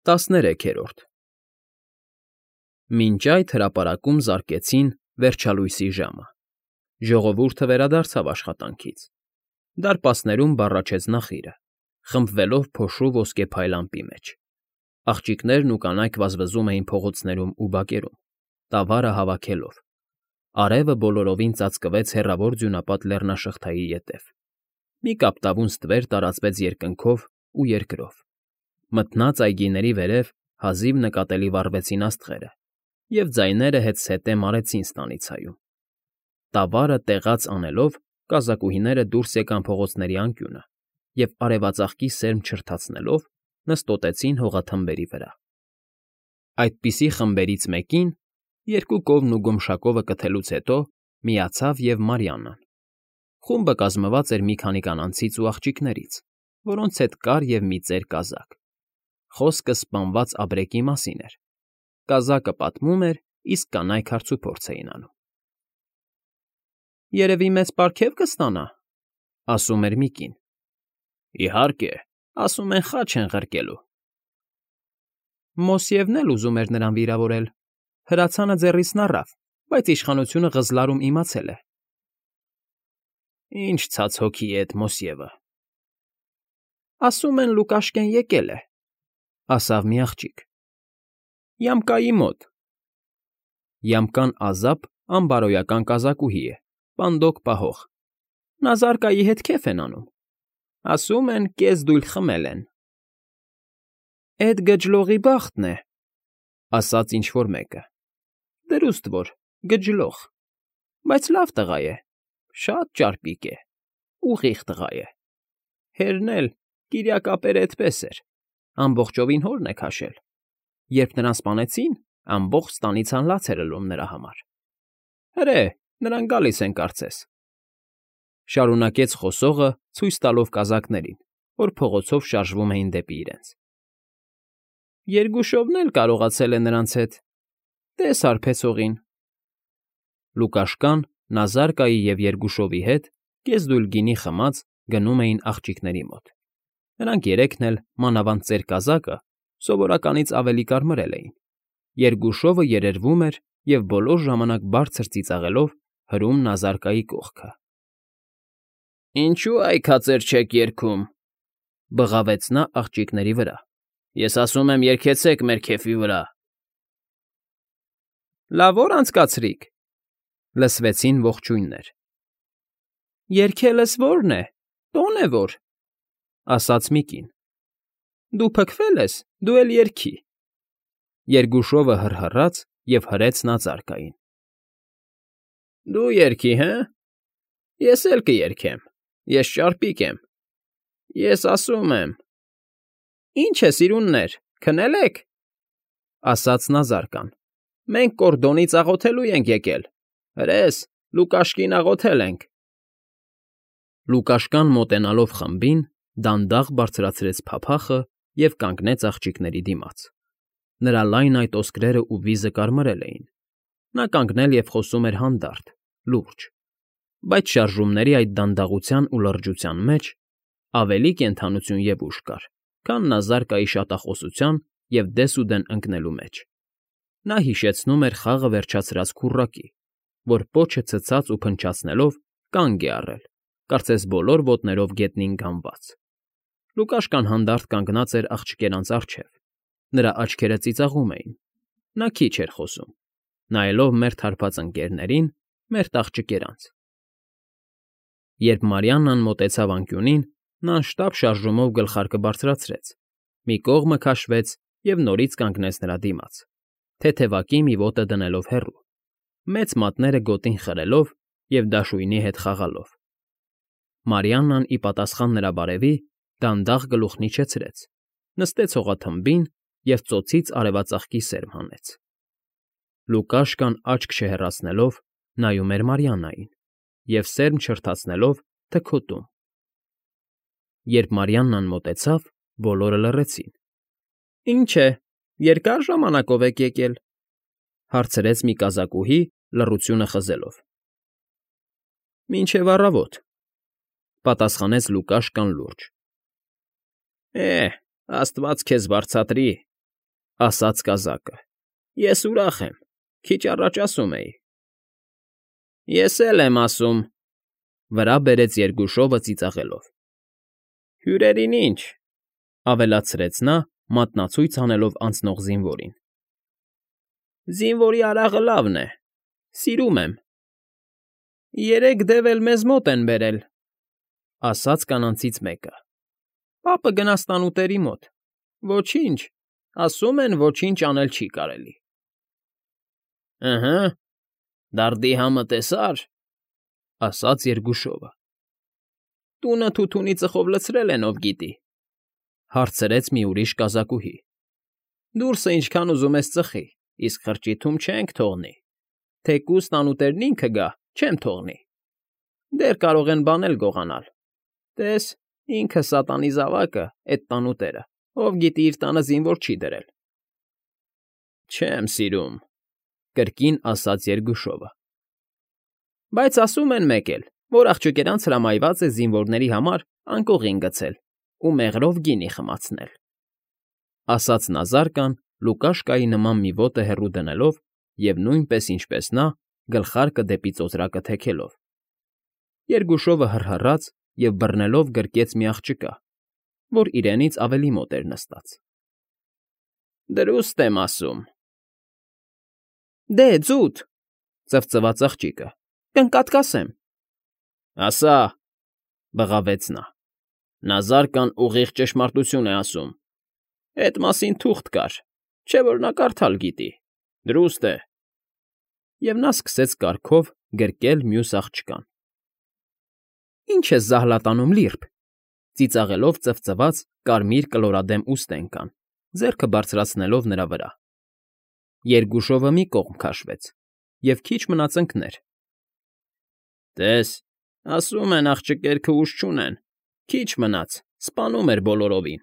13-րդ Մինչ այդ հրապարակում զարկեցին վերջալույսի ժամը, ժողովուրդը վերադարձավ աշխատանքից, դարպասներում բառաչեց նախիրը, խմբվելով փոշու ոսկեփայլ ամպի մեջ, աղջիկներն ու կանայք վազվզում էին փողոցներում ու բակերում, տավարը հավաքելով, արևը բոլորովին ծածկվեց հեռավոր ձյունապատ լեռնաշղթայի ետև, մի կապտավուն ստվեր տարածվեց երկնքով ու երկրով, մթնած այգիների վերև հազիվ նկատելի վառվեցին աստղերը, և ձայները հետզհետե մարեցին ստանիցայում, տավարը տեղաց անելով, կազակուհիները դուրս եկան փողոցների անկյունը և արևածաղկի սերմ չրթացնելով նստոտեցին հողաթմբերի վրա. այդպիսի խմբերից մեկին, երկու կովն ու գոմշակովը կթելուց հետո, միացավ և Մարիաննան. խումբը կազմված էր մի քանի կանանցից ու աղջիկներից, որոնց հետ կար և մի ծեր կազակ, խոսքը սպանված ապրեկի մասին էր, կազակը պատմում էր, իսկ կանայք հարցուփորձ էին անում։ ֊ Երևի մեծ պարգև կստանա,֊ ասում էր մի կին։ ֊ Իհարկե, ասում են խաչ են ղրկելու։ Մոսյևն էլ ուզում էր նրան վիրավորել, հրացանը ձեռիցն առավ, բայց իշխանությունը ղզլարում իմացել է։ ֊ Ինչ ցած հոգի է էդ Մոսյևը։ Ասում են Լուկաշկեն եկել է,֊ ասավ մի աղջիկ։ ֊ Յամկայի մոտ։ Յամկան ազապ անբարոյական կազակուհի է, պանդոկ պահող, նա Զարկայի հետ քեֆ են անում, ասում են կես դույլ խմել են։ ֊ Էդ գջլողի բախտն է,֊ ասաց ինչ֊որ մեկը։ ֊ Դրուստ որ, գջլող, բայց լավ տղա է, շատ ճարպիկ է, ուղիղ տղա է, հերն էլ Կիրյակապերը էդպես էր, ամբողջովին հորն է քաշել, երբ նրան սպանեցին, ամբողջ ստանիցան լաց էր ըլում նրա համար։ Հրե, նրանք գալիս են կարծես,֊ շարունակեց խոսողը, ցույց տալով կազակներին, որ փողոցով շարժվում էին դեպի իրենց։ Երգուշովն էլ կարողացել է նրանց հետ, տես հարբեցողին։ Լուկաշկան, Զարկայի և Երգուշովի հետ, կեսդույլ գինի խմած, գնում էին աղջիկների մոտ։ Նրանք երեքն էլ, մանավանդ ծեր կազակը, սովորականից ավելի կարմրել էին, Երգուշովը երերվում էր և բոլոր ժամանակ բարձր ծիծաղելով հրում Զարկայի կողքը։ ֊ Ինչո՞ւ այքածեր չեք երգում,֊ բղավեց նա աղջիկների վրա։ Ես ասում եմ, երգեցեք մեր քեֆի վրա։ ֊ Լավ օր անցկացրիք,֊ լսվեցին ողջույններ։ ֊ Երգելս ո՞րն է, տոն է որ,֊ ասաց մի կին։ ֊ Դու փքվել ես, դու էլ երգի։ Երգուշովը հռհռաց և հրեց նա Զարկային։ ֊ Դու երգի, հը՞։ Ես էլ կերգեմ, ես ճարպիկ եմ, ես ասում եմ։ ֊ Ինչ է, սիրուններ, քնել եք,֊ ասաց նա Զարկան։ Մենք կորդոնից աղոթելու ենք եկել, հրես, Լուկաշկին աղոթել ենք։ Լուկաշկան մոտենալով խմբին, դանդաղ բարձրացրեց փափախը և կանգնեց աղջիկների դիմաց։ Նրա լայն այտ ոսկրերն ու վիզը կարմրել էին։ Նա կանգնել և խոսում էր հանդարտ, լուրջ, բայց շարժումների այդ դանդաղության ու լրջության մեջ ավելի կենդանություն և ուժ կար, քան Զարկայի շատախոսության և դեսուդեն ընկնելու մեջ։ Նա հիշեցնում էր խաղը վերջացրած քուռակի, որ պոչը ցցած ու փնչացնելով կանգ է առել, կարծես բոլոր ոտներով գետնին գանված։ Լուկաշկան հանդարտ կանգնած էր աղջկերանց առջև, նրա աչքերը ծիծաղում էին, նա քիչ էր խոսում, նայելով մերթ հարբած ընկներներին, մերթ աղջկերանց։ Երբ Մարիաննան մոտեցավ անկյունին, նա անշտապ շարժումով գլխարկը բարձրացրեց, մի կողմը քաշվեց և նորից կանգնեց նրա դիմաց, թեթևակի մի ոտը դնելով հեռու, մեծ մատները գոտին խրելով և դաշույնի հետ խաղալով։ Մարիաննան, ի պատասխան նրա բարևի, դանդաղ գլուխն իջեցրեց, նստեց հողաթմբին և ծոցից արևածաղկի սերմ հանեց։ Լուկաշկան աչք չհեռացնելով նայում էր Մարիաննային և սերմ չրթացնելով թքոտում։ Երբ Մարիաննան մոտեցավ, բոլորը լռեցին։ ֊ Ինչ է, երկա՞ր ժամանակով եք եկել,֊ հարցրեց մի կազակուհի, լռությունը խզելով։ ֊ Մինչև առավոտ,֊ պատասխանեց Լուկաշկան լուրջ։ ֊ Աստված քեզ բարձատրի,֊ ասաց կազակը։ Ես ուրախ եմ, քիչ առաջ ասում էի։ Ես էլ եմ ասում, վրա բերեց Երգուշովը ծիծաղելով։ Հյուրերին ինչ, ավելացրեց նա, մատնացույց անելով անցնող զինվորին։ Զինվորի արաղը լավն է, սիրում եմ։ Երեք դև էլ մեզ մոտ են բերել, ասաց կանանցից մեկը։ Պապը գնաց տանուտերի մոտ։ Ոչինչ, ասում են ոչինչ անել չի կարելի։ Ըհը, դարդի համը տեսար, ասաց Երգուշովը։ Տունը թութունի ծխով լցրել են, ով գիտի, հարցրեց մի ուրիշ կազակուհի։ Դուրսը ինչքան ուզում ես ծխի, իսկ խրճիթում չենք թողնի։ Թեկուզ տանուտերն ինքը գա, չեմ թողնի։ Դեռ կարող են բանել գողանալ։ Տես, ինքը սատանի զավակը, էդ տանուտերը, ով գիտի իր տանը զինվոր չի դրել։ Չեմ սիրում, կրկին ասաց Երգուշովը։ Բայց ասում են մեկ էլ, որ աղջիկերանց հրամայված է զինվորների համար անկողին գցել ու մեղրով գինի խմացնել, ասաց Նազարկան Լուկաշկայի նման մի ոտը հեռու դնելով և նույնպես ինչպես նա, գլխարկը դեպի ծոծրակը թեքելով։ Երգուշովը հռհռաց և բռնելով գրկեց մի աղջկա, որ իրենից ավելի մոտ էր նստած։ Դրուստ եմ ասում։ Դե, ձուտ, ծվծվաց աղջիկը, կընկատկասեմ։ Ասա, բղավեց նա։ Նազարկան ուղիղ ճշմարտություն է ասում։ Էդ մասին թուղթ կար, չէ՞ որ նա կարդալ գիտի։ Դրուստ է։ Եվ նա սկսեց կառքով գրկել մյուս աղջկան։ Ինչ ես զահլատանում, լիրբ, ծիծաղելով ծվծված կարմիր կլորադեմ ուստենկան, ձեռքը բարձրացնելով նրա վրա։ Երգուշովը մի կողմ քաշվեց և քիչ մնաց ընկներ։ Տես, ասում են աղջիկերքը ուժ չունեն, քիչ մնաց, սպանում էր բոլորովին։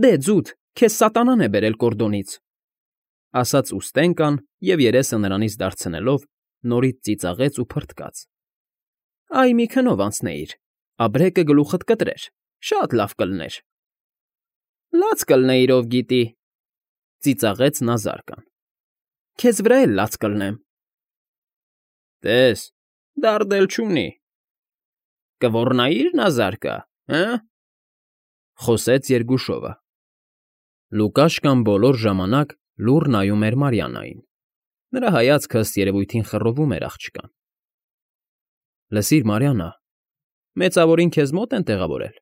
Դե, ձուտ, քեզ սատանան է բերել կորդոնից, ասաց ուստենկան և երեսը նրանից դարձնելով նորից ծիծաղեց ու փռթկաց։ Այ մի քնով անցնեիր, աբրեկը գլուխդ կտրեր, շատ լավ կլներ։ Լաց կլնեիր, ով գիտի, ծիծաղեց Նազարկան։ Քեզ վրա էլ լաց կլնեմ։ Տես, դարդ էլ չունի։ Կոռնայիր Նազարկա, հը՞։ Խոսեց Երգուշովը։ Լուկաշկան բոլոր ժամանակ լուռ նայում էր Մարիաննային։ Նրա հայացքը ըստ երևույթին խռովում էր աղջկան։ Լսիր, Մարիաննա, մեծավորին քեզ մոտ են տեղավորել,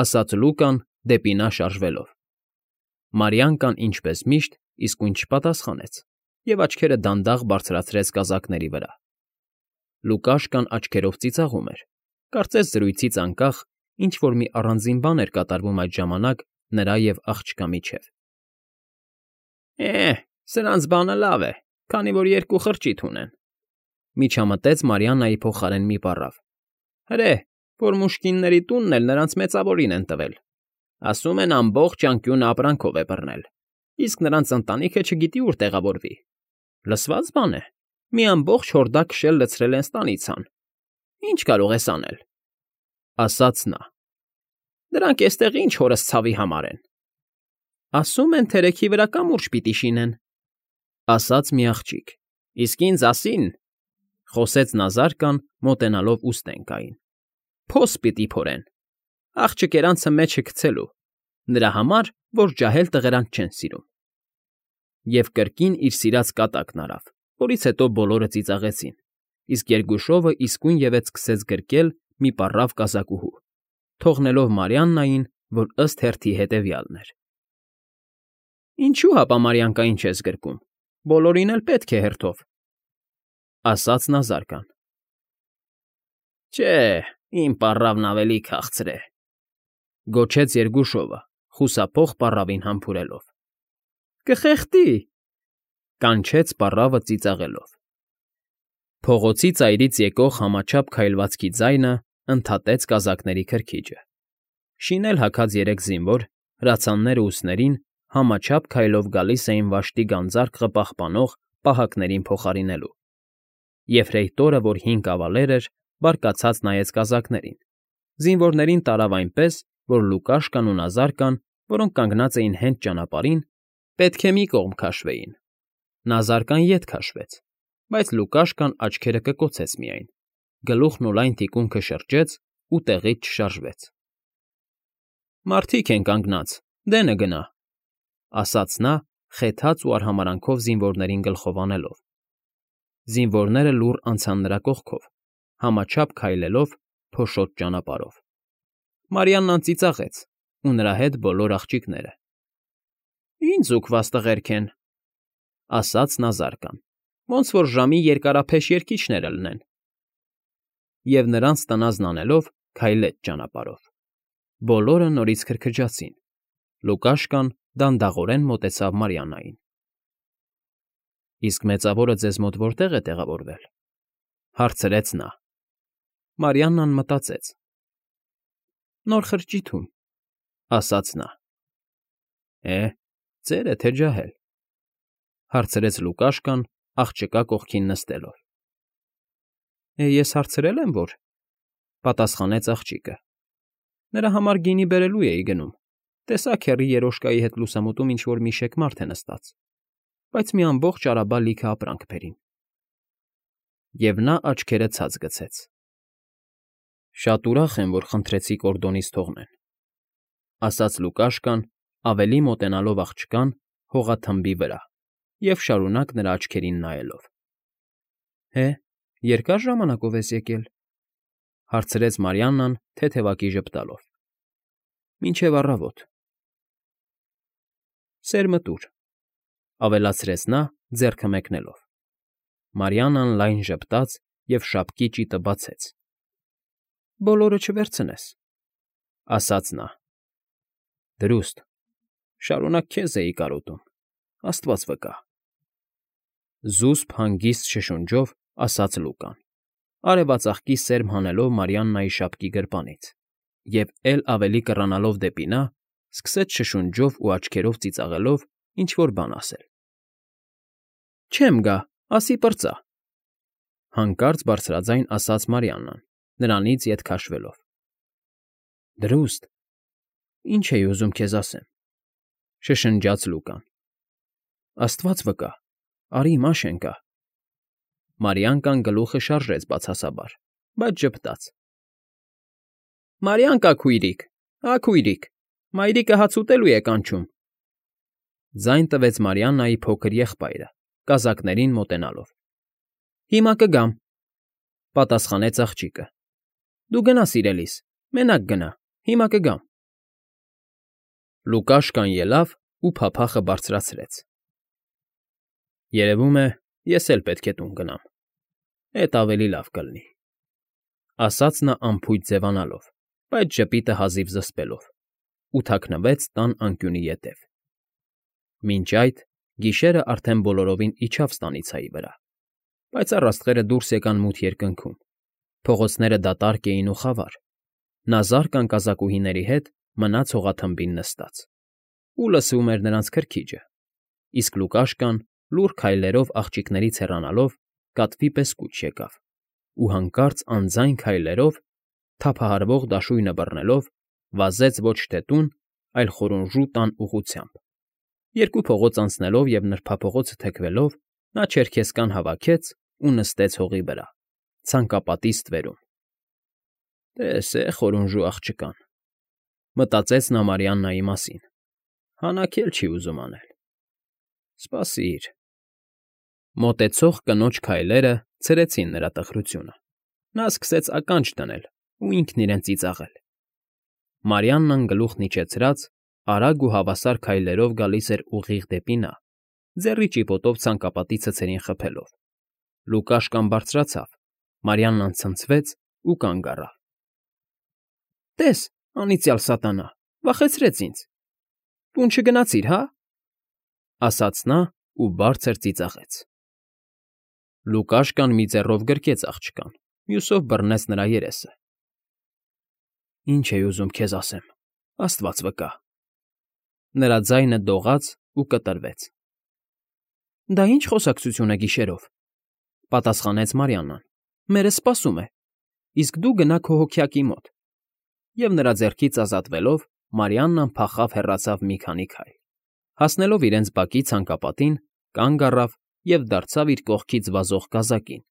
ասաց Լուկան դեպի նա շարժվելով։ Մարիաննան, ինչպես միշտ, իսկույն չպատասխանեց և աչքերը դանդաղ բարձրացրեց կազակների վրա։ Լուկաշկան աչքերով ծիծաղում էր, կարծես զրույցից անկախ ինչ֊որ մի առանձին բան էր կատարվում այդ ժամանակ նրա և աղջկա միջև։ Սրանց բանը լավ է, քանի որ երկու խրճիթ ունեն, միջամտեց Մարիաննայի փոխարեն մի պառավ։ Հրե, որ մուշկինների տունն էլ նրանց մեծավորին են տվել։ Ասում են ամբողջ անկյունը ապրանքով է բռնել, իսկ նրանց ընտանիքը չգիտի ուր տեղավորվի։ Լսված բան է, մի ամբողջ հորդակ քշել լցրել են ստանիցան։ Ինչ կարող ես անել, ասաց նա։ Դրանք էստեղ ինչ հորս ցավի համար են։ Ասում են թերեքի վրա կամուրջ պիտի շինեն, ասաց մի աղջիկ։ Իսկ ինձ ասին, խոսեց Նազարկան, մոտենալով ուստենկային։ Փոս պիտի փորեն, աղջկերանցը մեջը գցելու, նրա համար, որ ջահել տղերանք չեն սիրում։ Եվ կրկին իր սիրած կատակն արավ, որից հետո բոլորը ծիծաղեցին, իսկ Երգուշովը իսկույնևեթ սկսեց գրկել մի պառավ կազակուհու, թողնելով Մարիաննային, որ ըստ հերթի հետևյալն էր։ Ինչու հապա Մարիանկային չես գրկում, բոլորին էլ պետք է հերթով, ասաց Նազարկան։ Չէ, իմ պառավն ավելի քաղցր է, գոչեց Երգուշովը, խուսափող պառավին համբուրելով։ Կխեղդի, կանչեց պառավը ծիծաղելով։ Փողոցի ծայրից եկող համաչափ քայլվածքի ձայնը ընդհատեց կազակների քրքիջը։ Շինել հագած երեք զինվոր, հրացանները ուսներին, համաչափ քայլով գալիս էին վաշտի գանձարկղը պահպանող պահակներին փոխարինելու։ Եֆրեյտորը, որ հին կավալեր էր, բարկացած նայեց կազակներին։ Զինվորներին տարավ այնպես, որ Լուկաշկան ու Նազարկան, որոնք կանգնած էին հենց ճանապարհին, պետք է մի կողմ քաշվեին։ Նա զարկան ետ քաշվեց, բայց Լուկաշկան աչքերը կկոցեց միայն, գլուխն ու լայն թիկունքը շրջեց ու տեղից չշարժվեց։ «Մարդիկ են կանգնած, դենը գնա», ասաց նա, խեթած ու արհամարանքով զինվորներին գլխով անելով։ Զինվորները լուռ անցան նրա կողքով, համաչափ քայլելով փոշոտ ճանապարհով։ Մարիաննան ծիծաղեց, ու նրա հետ բոլոր աղջիկները։ «Ինչ զուգված տղերք են», ասաց նա զարկան, ոնց որ ժամի երկարափեշ երգիչները լնեն։ Եվ նրանց տնազն անելով քայլեց ճանապարհով։ Բոլորը նորից քրքջացին։ Լուկաշկան դանդաղորեն մոտեցավ Մարիաննային։ «Իսկ մեծավորը ձեզ մոտ որտեղ է տեղավորվել», հարցրեց նա։ Մարիաննան մտածեց։ «Նոր խրճիթում», ասաց նա։ Ծեր է թե ջահել», հարցրեց Լուկաշկան, աղջկա կողքին նստելով։ Ես հարցրել եմ, որ,֊ պատասխանեց աղջիկը։ Նրա համար գինի բերելու էի գնում, տեսա քեռի երոշկայի հետ լուսամուտում ինչ֊որ մի շեկ մարդ է նստած, բայց մի ամբողջ արաբա լիքը ապրանք բերին։ Եվ նա աչքերը ցած գցեց։ «Շատ ուրախ եմ, որ խնդրեցիք օրդոնից թողնեն», ասաց Լուկաշկան, ավելի մոտենալով աղջկան հողաթմբի վրա և շարունակ նրա աչքերին նայելով։ Երկար ժամանակով ես եկել,֊ հարցրեց Մարիաննան թեթևակի ժպտալով։ Մինչև առավոտ։ Սերմը տուր,֊ ավելացրեց նա, ձեռքը մեկնելով։ Մարիաննան լայն ժպտաց և շապկի ճիտը բացեց։ Բոլորը չվերցնես,֊ ասաց նա։ Դրուստ, շարունակ քեզ էի կարոտում, աստված վկա,֊ զուսպ հանգիստ շշունջով ասաց Լուկան, արևածաղկի սերմ հանելով Մարիաննայի շապկի գրպանից, և էլ ավելի կռանալով դեպի նա, սկսեց շշունջով ու աչքերով ծիծաղելով ինչ֊որ բան ասել։ Չեմ գա, ասի պրծա,֊ հանկարծ բարձրաձայն ասաց Մարիաննան, նրանից ետ քաշվելով։ Դրուստ, ինչ էի ուզում քեզ ասեմ,֊ շշնջաց Լուկան։ Աստված վկա, արի Մաշենկա։ Մարիանկան գլուխը շարժեց բացասաբար, բայց ժպտաց։ Մարիանկա քույրիկ, քույրիկ, մայրիկը հաց ուտելու է կանչում,֊ ձայն տվեց Մարիաննայի փոքր եղբայրը, կազակներին մոտենալով։ Հիմա կգամ,֊ պատասխանեց աղջիկը։ Դու գնա սիրելիս, մենակ գնա, հիմա կգամ։ Լուկաշկան ելավ ու փափախը բարձրացրեց։ Երևում է, ես էլ պետք է տուն գնամ, էդ ավելի լավ կլինի,֊ ասաց նա անփույթ ձևանալով, բայց ժպիտը հազիվ զսպելով, ու թաքնվեց տան անկյունի ետև։ Մինչ այդ գիշերն արդեն բոլորովին իջավ ստանիցայի վրա, բայց առաստղերը դուրս եկան մութ երկնքում, փողոցները դատարկ էին ու խավար, նա զարկան կազակուհիների հետ մնաց հողաթմբին նստած, ու լսում էր նրանց քրքիջը, իսկ Լուկաշկան լուռ քայլերով աղջիկներից հեռանալով կատվի պես կուչ եկավ, ու հանկարծ անձայն քայլերով, թափահարվող դաշույնը բռնելով, վազեց ոչ թե տուն, այլ խորունժու տան ուղղությամբ։ Երկու փողոց անցնելով և նրբափողոցը թեքվելով, նա չերքեզկան հավաքեց ու նստեց հողի վրա, ցանկապատի ստվերում։ Տես է խորունժու աղջկան,֊ մտածեց նա Մարիաննայի մասին, հանաք էլ չի ուզում անել։ Սպասիր… Մոտեցող կնոջ քայլերը ցրեցին նրա տխրությունը։ Նա սկսեց ականջ դնել ու ինքն իրեն ծիծաղել։ Մարիաննան գլուխն իջեցրած, արագ ու հավասար քայլերով գալիս էր ուղիղ դեպի նա, ձեռի ճիպոտով ցանկապատի ցցերին խփելով։ Լուկաշկան բարձրացավ, Մարիաննան ցնցվեց ու կանգ առավ։ Տես, անիծյալ սատանա, վախեցրեց ինձ։ Տուն չգնացիր, հա՞, ասաց նա ու բարձր ծիծաղեց։ Լուկաշկան մի ձեռով գրկեց աղջկան, մյուսով բռնեց նրա երեսը։ Ինչ էի ուզում քեզ ասեմ, աստված վկա։ Նրա ձայնը դողաց ու կտրվեց։ Դա ինչ խոսակցություն է գիշերով,֊ պատասխանեց Մարիաննան։ Մերը սպասում է, իսկ դու գնա քո հոգյակի մոտ։ Եվ նրա ձեռքից ազատվելով, Մարիաննան փախավ հեռացավ մի քանի քայլ։ Հասնելով իրենց բակի ցանկապատին, կանգ առավ և դարձավ իր կողքից վազող կազակին,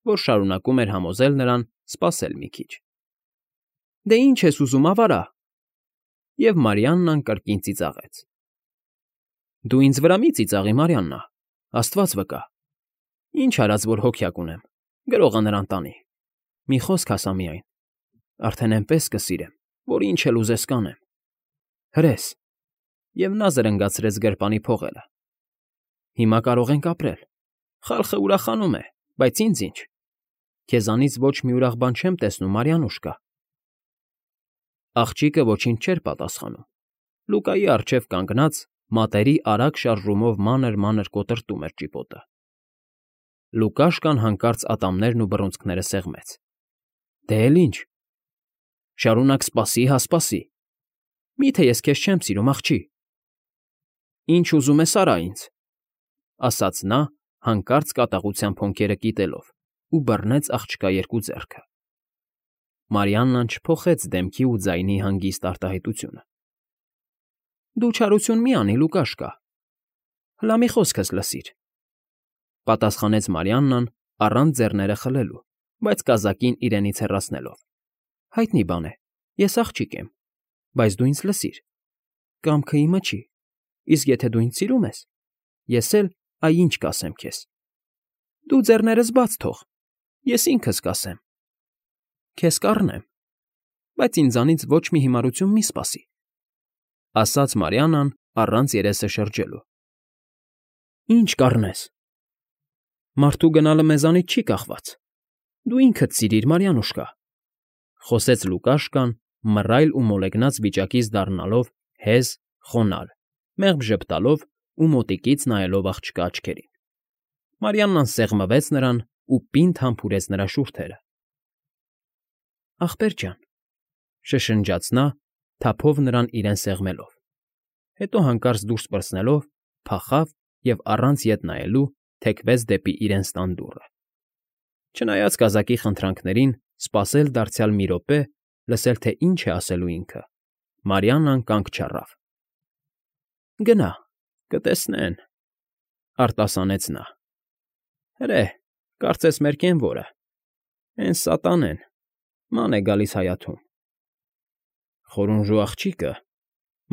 որ շարունակում էր համոզել նրան սպասել մի քիչ։ «Դե ինչ ես ուզում, ավարա»։ Եվ Մարիաննան կրկին ծիծաղեց։ «Դու ինձ վրա մի ծիծաղի, Մարիաննա, Աստված վկա։ Ինչ արած, որ հոգյակ ունեմ, գրողը նրան տանի։ Մի խոսք ասա միայն, արդեն էնպես կսիրեմ, որ ինչ էլ ուզես կանեմ։ Հրես»։ Եվ նա զրնգացրեց գրպանի փողերը։ «Հիմա կարող ենք ապրել։ Խալխը ուրախանում է, բայց ինձ ինչ։ Քեզանից ոչ մի ուրախ բան չեմ տեսնում, Մարիանուշկա»։ Աղջիկը ոչինչ չէր պատասխանում։ Լուկայի առջև կանգնած մատերի արագ շարժումով մանր կոտրտում էր ճիպոտը։ Լուկաշկան հանկարծ ատամներն ու բռունցքները սեղմեց։ «Դե էլ ինչ։ Շարունակ սպասի հա սպասի։ Մի՞թե ես քեզ չեմ սիրում, աղջի»։ «Ինչ ուզում ես արա ինձ», ասաց նա, հանկարծ կատաղությամբ հոնքերը կիտելով, ու բռնեց աղջկա երկու ձեռքը։ Մարիաննան չփոխեց դեմքի ու ձայնի հանգիստ արտահայտությունը։ «Դու չարություն մի անի, Լուկաշկա։ Հլա մի խոսքս լսիր», պատասխանեց Մարիաննան առանց ձեռները խլելու, բայց կազակին իրենից հեռացնելով։ «Հայտնի բան է, ես աղջիկ եմ, բայց դու ինձ լսիր։ Կամքը իմը չի, իսկ եթե դու ինձ սիրում ես, ես էլ այ ինչ կասեմ քեզ։ Դու ձեռներս բաց թող, ես ինքս կասեմ։ Քեզ կառնեմ, բայց ինձանից ոչ մի հիմարություն մի սպասի», ասաց Մարիաննան առանց երեսը շրջելու։ «Ինչ կառնես։ Մարդու գնալը մեզանից չի կախված։ Դու ինքդ սիրիր, Մարիանուշկա», խոսեց Լուկաշկան, մռայլ ու մոլեգնած վիճակից դառնալով հեզ, խոնարհ, մեղմ ժպտալով ու մոտիկից նայելով աղջկա աչքերին։ Մարիաննան սեղմվեց նրան ու պինդ համբուրեց նրա շուրթերը։ «Ախպեր ջան», շշնջաց նա, թափով նրան իրեն սեղմելով։ Հետո հանկարծ դուրս պրծնելով փախավ և առանց ետ նայելու թեքվեց դեպի իրենց տան դուռը։ Չնայած կազակի խնդրանքներին, սպասել դարձյալ մի րոպե, լսել թե ինչ է ասելու ինքը, Մարիաննան կանգ չառավ։ «Գնա, կտեսնեն», արտասանեց նա։ «Հրե, կարծես մեր կենվորը։ Էն սատանեն, ման է գալիս հայաթում»։ «Խորունժու աղջիկը»,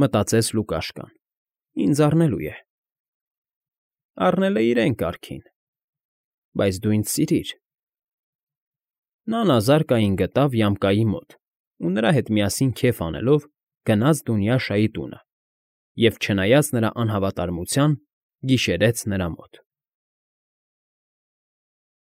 մտածեց Լուկաշկան, «ինձ առնելու է»։ «Առնել է իրեն կարգին, բայց դու ինձ սիրիր»։ Նա նազարկային գտավ ямկայի մոտ ու նրա հետ միասին քեֆ անելով գնաց Դունյաշայի տունը և, չնայած նրա անհավատարմության, գիշերեց նրա մոտ։